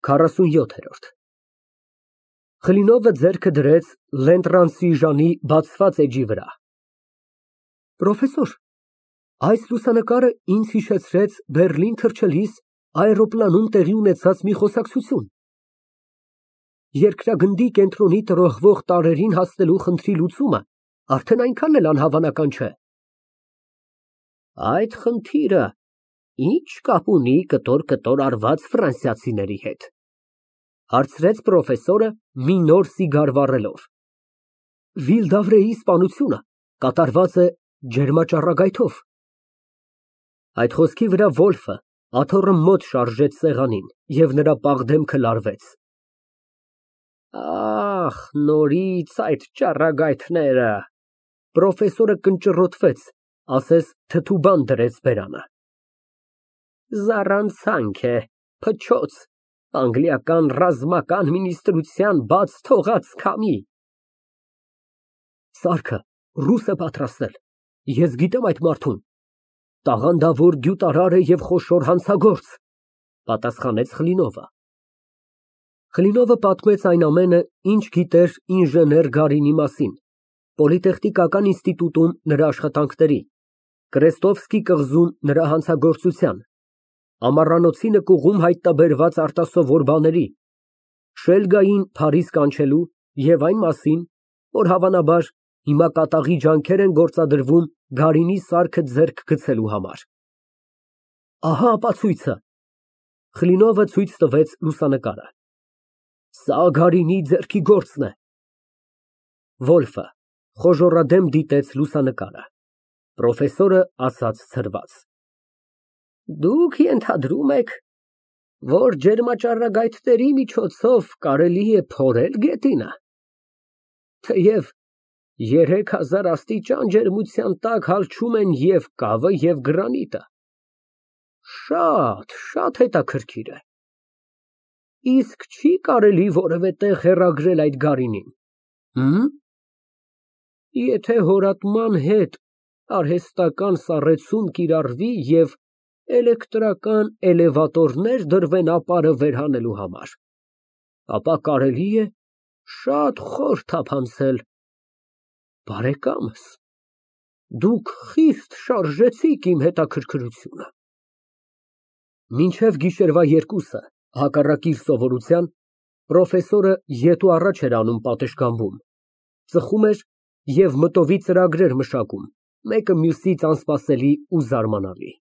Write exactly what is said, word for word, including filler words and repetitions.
քառասունյոթ։ Խլինովը ձեռքը դրեց Լենտրանսիժանի բացված էջի վրա։ Պրոֆեսոր, այս լուսանկարը ինձ հիշեցրեց Բեռլին թռչելիս այրոպլանում տեղի ունեցած մի խոսակցություն։ Երկրագնդի կենտրոնի տրոհվող տարրերին հասնելու խնդրի լուծումը արդեն այնքան էլ անհավանական չէ։ Այդ խնդիրը ի՞նչ կապ ունի կտոր֊կտոր արված ֆրանսիացիների հետ, հարցրեց պրոֆեսորը մի նոր սիգար վառելով։ Վիլդավրեի սպանությունը կատարված է ջերմաճառագայթով։ Այդ խոսքի վրա Վոլֆը աթոռը մոտ շարժեց սեղանին, և նրա պաղ դեմքը լարվեց։ Ահ, նորից այդ ճառագայթները, պրոֆեսորը կնճռոտվեց, ասես թթու բան դրեց բերանը։ Զառանցանք է, փչոց, անգլիական ռազմական մինիստրության բաց թողած քամի։ Սարքը ռուս է պատրաստել, ես գիտեմ այդ մարդուն, տաղանդավոր գյուտարար է և խոշոր հանցագործ, պատասխանեց Խլինովը։ Խլինովը պատմեց այն ամենը, ինչ գիտեր ինժեներ Գարինի մասին, պոլիտեխնիկական ինստիտուտում նրա աշխատանքների, Կրեստովսկի կղզում նրա հանցագործության, ամառանոցի նկուղում հայտնաբերված արտասովոր բաների, Շելգային Փարիզ կանչելու և այն մասին, որ հավանաբար հիմա կատաղի ջանքեր են գործադրվում Գարինի սարքը ձեռք գցելու համար։ Ահա ապացույցը։ Խլինովը ցույց տվեց լուսանկարը։ Սա Գարինի ձեռքի գործն է։ Վոլֆը խոժոռադեմ դիտեց լուսանկարը։ Պրոֆեսորը ասաց ցրված. Դուք ենթադրում եք, որ ջերմաճառագայթների միջոցով կարելի է փորել գետինը, թեև երեք հազար աստիճան ջերմության տակ հալչում են և կավը, և գրանիտը։ Շատ, շատ հետաքրքիր է։ Իսկ չի կարելի որևէ տեղ հեռագրել այդ Գարինին, հը՞մ։ Եթե հորատման հետ արհեստական սառեցում կիրառվի և էլեկտրական էլևատորներ դրվեն ապարը վերհանելու համար, ապա կարելի է շատ խոր թափանցել։ Բարեկամս, դուք խիստ շարժեցիք իմ հետաքրքրությունը։ Մինչև գիշերվա երկուսը, հակառակ իր սովորության, պրոֆեսորը ետ ու առաջ էր անում պատշգամբում, ծխում էր և մտովի ծրագրեր մշակում, մեկը մյուսից անսպասելի ու զարմանալի։